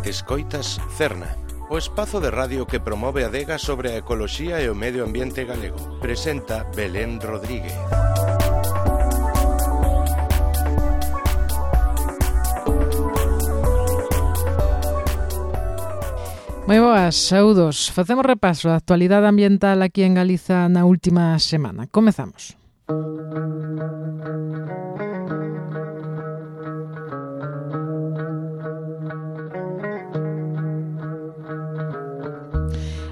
Escoitas Cerna, o espazo de radio que promove a adega sobre a ecoloxía e o medio ambiente galego. Presenta Belén Rodríguez. Moi boas, saúdos. Facemos repaso da actualidade ambiental aquí en Galiza na última semana. Comezamos.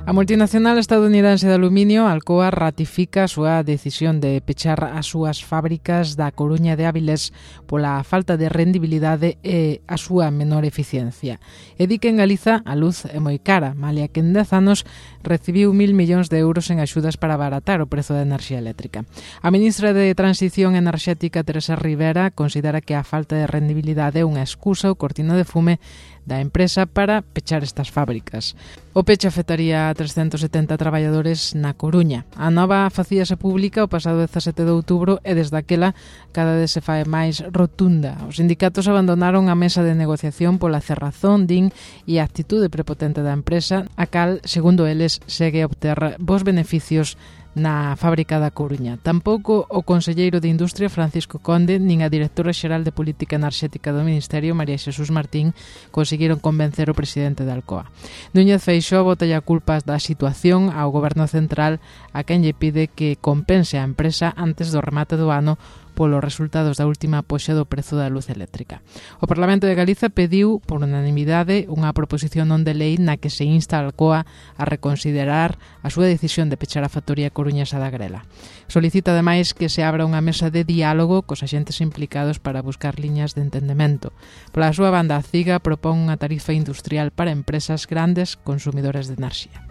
A multinacional estadounidense de aluminio, Alcoa, ratifica a súa decisión de pechar as súas fábricas da Coruña de Áviles pola falta de rendibilidade e a súa menor eficiencia. E di que en Galiza a luz é moi cara, malia que en 10 anos recibiu 1.000 millóns de euros en axudas para abaratar o prezo da enerxía eléctrica. A ministra de Transición Enerxética, Teresa Rivera, considera que a falta de rendibilidade é unha excusa ou cortina de fume da empresa para pechar estas fábricas. O peche afectaría a 370 traballadores na Coruña. A nova facíase pública o pasado 17 de outubro e desde aquela cada vez se fai máis rotunda. Os sindicatos abandonaron a mesa de negociación pola cerrazón, din, e a actitude prepotente da empresa, a cal, segundo eles, segue a obter bons beneficios na fábrica da Coruña. Tampouco o conselleiro de Industria, Francisco Conde, nin a directora xeral de Política Enerxética do Ministerio, María Xesús Martín, conseguiron convencer o presidente da Alcoa. Núñez Feixóo botalle a culpa da situación ao Goberno Central, a quen lle pide que compense a empresa antes do remate do ano polos resultados da última poxa do prezo da luz eléctrica. O Parlamento de Galiza pediu, por unanimidade, unha proposición non de lei na que se insta a Alcoa a reconsiderar a súa decisión de pechar a factoría coruñesa da Grela. Solicita, ademais, que se abra unha mesa de diálogo cos axentes implicados para buscar liñas de entendemento. Pola súa banda, a CIGA propón unha tarifa industrial para empresas grandes consumidores de enerxía.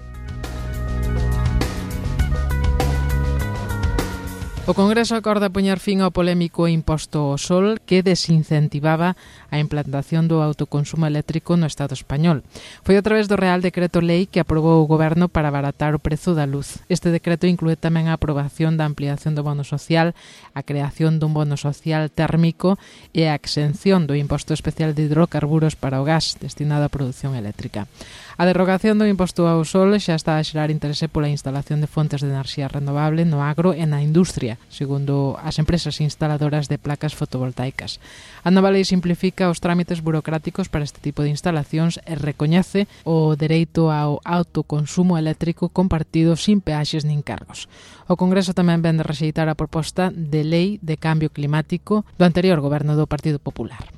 O Congreso acorda poñer fin ao polémico imposto ao sol que desincentivaba a implantación do autoconsumo eléctrico no Estado español. Foi a través do Real Decreto Lei que aprobou o Goberno para abaratar o prezo da luz. Este decreto inclúe tamén a aprobación da ampliación do bono social, a creación dun bono social térmico e a exención do imposto especial de hidrocarburos para o gas destinado á produción eléctrica. A derrogación do imposto ao sol xa está a xerar interese pola instalación de fontes de enerxía renovable no agro e na industria, segundo as empresas instaladoras de placas fotovoltaicas. A nova lei simplifica os trámites burocráticos para este tipo de instalacións e recoñece o dereito ao autoconsumo eléctrico compartido sin peaxes nin cargos. O Congreso tamén vén de rexeitar a proposta de lei de cambio climático do anterior goberno do Partido Popular.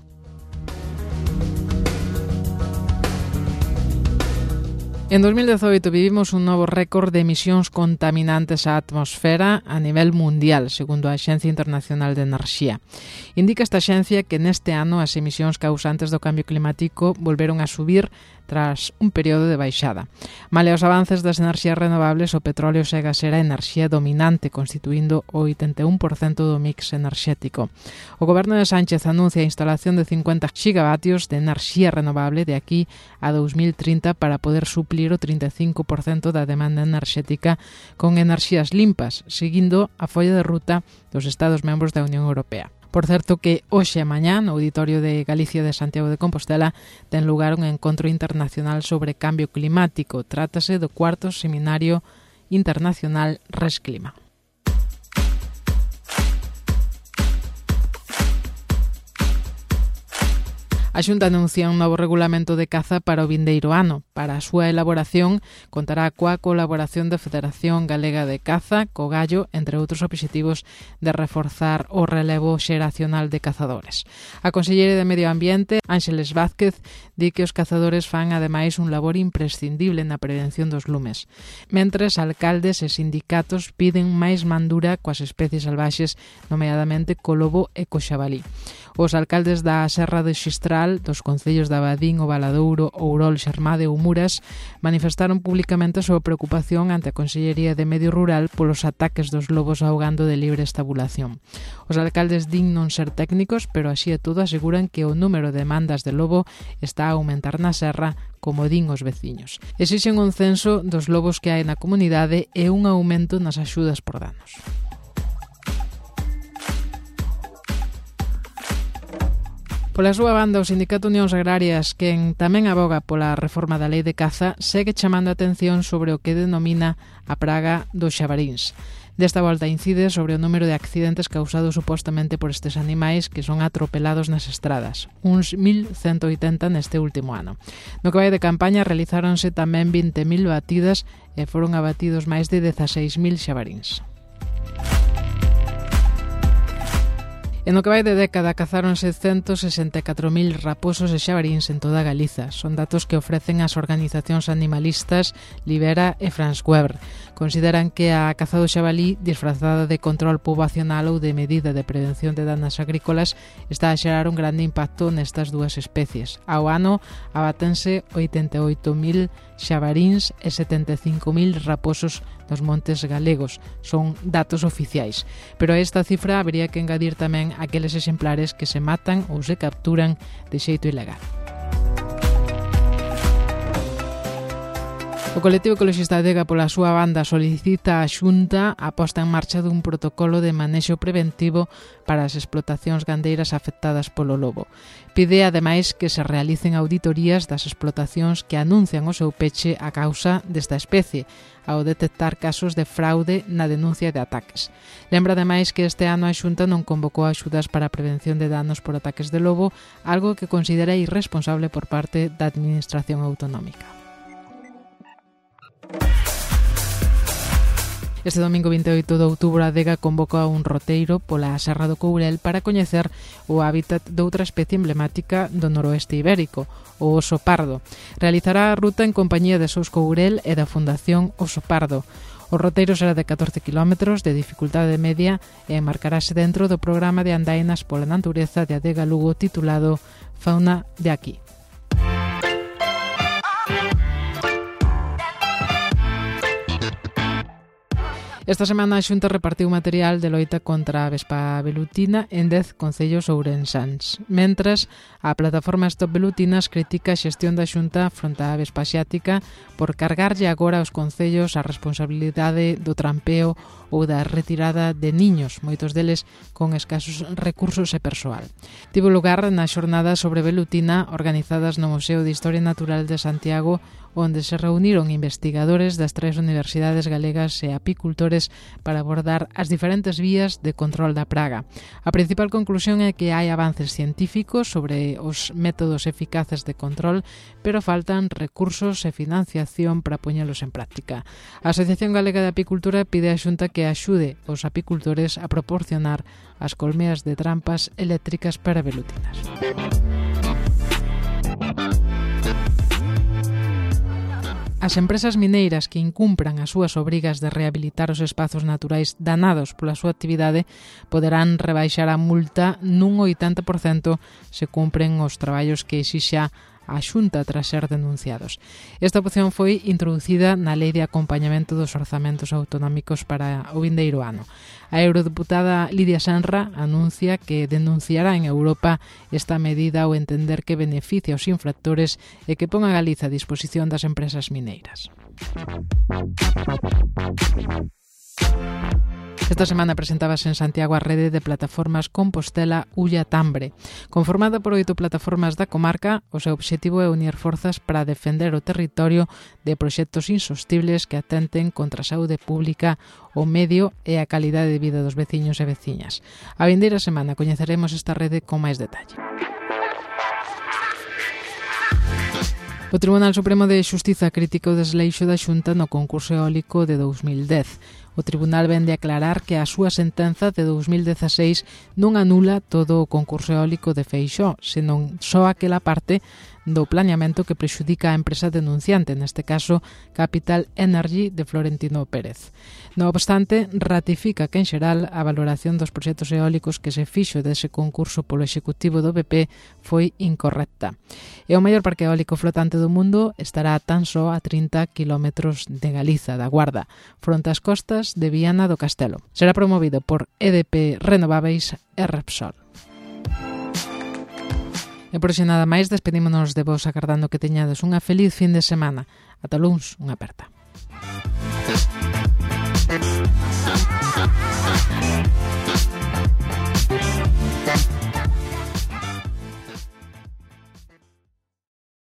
En 2018 vivimos un novo récord de emisións contaminantes á atmosfera a nivel mundial, segundo a Axencia Internacional de Enerxía. Indica esta axencia que neste ano as emisións causantes do cambio climático volveron a subir tras un período de baixada. Male aos avances das enerxías renovables, o petróleo segue a ser a enerxía dominante, constituindo o 81% do mix enerxético. O goberno de Sánchez anuncia a instalación de 50 gigavatios de enerxía renovable de aquí a 2030 para poder suplir o 35% da demanda enerxética con enerxías limpas, seguindo a folla de ruta dos Estados membros da Unión Europea. Por certo que hoxe e mañá no Auditorio de Galicia de Santiago de Compostela ten lugar un encontro internacional sobre cambio climático. Trátase do 4º Seminario Internacional Resclima. A Xunta anuncia un novo regulamento de caza para o vindeiro ano. Para a súa elaboración contará coa colaboración da Federación Galega de Caza, co Gallo, entre outros obxectivos de reforzar o relevo xeracional de cazadores. A conselleira de Medio Ambiente, Ángeles Vázquez, di que os cazadores fan ademais un labor imprescindible na prevención dos lumes. Mentres, alcaldes e sindicatos piden máis mandura coas especies salvaxes, nomeadamente co lobo e co xabalí. Os alcaldes da Serra de Xistral, dos concellos de Abadín, o Valadouro, Ourol, Xermade ou Muras manifestaron públicamente a súa preocupación ante a Consellería de Medio Rural polos ataques dos lobos ao gando de libre estabulación. Os alcaldes din non ser técnicos, pero así e todo aseguran que o número de demandas de lobo está a aumentar na serra, como din os veciños. Exixen un censo dos lobos que hai na comunidade e un aumento nas axudas por danos. Pola súa banda, o Sindicato Unións Agrarias, quen tamén aboga pola reforma da lei de caza, segue chamando a atención sobre o que denomina a praga dos xabaríns. Desta volta incide sobre o número de accidentes causados supostamente por estes animais que son atropelados nas estradas, uns 1.180 neste último ano. No que vai de campaña realizáronse tamén 20.000 batidas e foron abatidos máis de 16.000 xabaríns. E no que vai de década cazáronse 164.000 raposos e xabaríns en toda Galiza. Son datos que ofrecen as organizacións animalistas Libera e France Weber. Consideran que a caza do xabalí, disfrazada de control poboacional ou de medida de prevención de danas agrícolas, está a xerar un grande impacto nestas dúas especies. Ao ano abátense 88.000 xabaríns e 75.000 raposos nos montes galegos. Son datos oficiais. Pero a esta cifra habría que engadir tamén aqueles exemplares que se matan ou se capturan de xeito ilegal. O colectivo ecologista Adega, pola súa banda, solicita á Xunta a posta en marcha dun protocolo de manexo preventivo para as explotacións gandeiras afectadas polo lobo. Pide, ademais, que se realicen auditorías das explotacións que anuncian o seu peche a causa desta especie, ao detectar casos de fraude na denuncia de ataques. Lembra, ademais, que este ano a Xunta non convocou axudas para a prevención de danos por ataques de lobo, algo que considera irresponsable por parte da Administración Autonómica. Este domingo 28 de outubro a Adega convoca un roteiro pola Serra do Courel para coñecer o hábitat doutra especie emblemática do noroeste ibérico, o oso pardo. Realizará a ruta en compañía de Sous Courel e da Fundación Oso Pardo. O roteiro será de 14 km de dificultade media e enmarcarase dentro do programa de andainas pola natureza de Adega Lugo titulado Fauna de aquí. Esta semana a Xunta repartiu material de loita contra a vespa velutina en 10 concellos ourensáns. Mentras, a plataforma Stop Velutinas critica a xestión da Xunta fronte á vespa asiática por cargarlle agora aos concellos a responsabilidade do trampeo ou da retirada de niños, moitos deles con escasos recursos e persoal. Tivo lugar nas xornadas sobre velutina organizadas no Museo de Historia Natural de Santiago, onde se reuniron investigadores das 3 universidades galegas e apicultores para abordar as diferentes vías de control da praga. A principal conclusión é que hai avances científicos sobre os métodos eficaces de control, pero faltan recursos e financiación para poñelos en práctica. A Asociación Galega de Apicultura pide á Xunta que axude os apicultores a proporcionar as colmeas de trampas eléctricas para velutinas. As empresas mineiras que incumpran as súas obrigas de rehabilitar os espazos naturais danados pola súa actividade poderán rebaixar a multa nun 80% se cumpren os traballos que exixa a Xunta tras ser denunciados. Esta opción foi introducida na Lei de Acompañamento dos Orzamentos Autonómicos para o vindeiro ano. A eurodeputada Lidia Senra anuncia que denunciará en Europa esta medida ao entender que beneficia aos infractores e que pon a Galiza a disposición das empresas mineiras. Esta semana presentábase en Santiago a rede de plataformas Compostela Ulla Tambre. Conformada por 8 plataformas da comarca, o seu obxectivo é unir forzas para defender o territorio de proxectos insostibles que atenten contra a saúde pública, o medio e a calidade de vida dos veciños e veciñas. A vindeira semana coñeceremos esta rede con máis detalle. O Tribunal Supremo de Xustiza critica o desleixo da Xunta no concurso eólico de 2010. O Tribunal vende a aclarar que a súa sentenza de 2016 non anula todo o concurso eólico de Feixóo, senón só aquela parte do planeamento que prexudica a empresa denunciante, neste caso Capital Energy de Florentino Pérez. No obstante, ratifica que en xeral a valoración dos proxectos eólicos que se fixo dese concurso polo Executivo do BP foi incorrecta. E o maior parque eólico flotante do mundo estará tan só a 30 km de Galiza, da Guarda, fronte ás costas de Viana do Castelo. Será promovido por EDP Renováveis e Repsol. E por xe nada máis, despedímonos de vos agardando que teñades unha feliz fin de semana. Ata luns, unha aperta.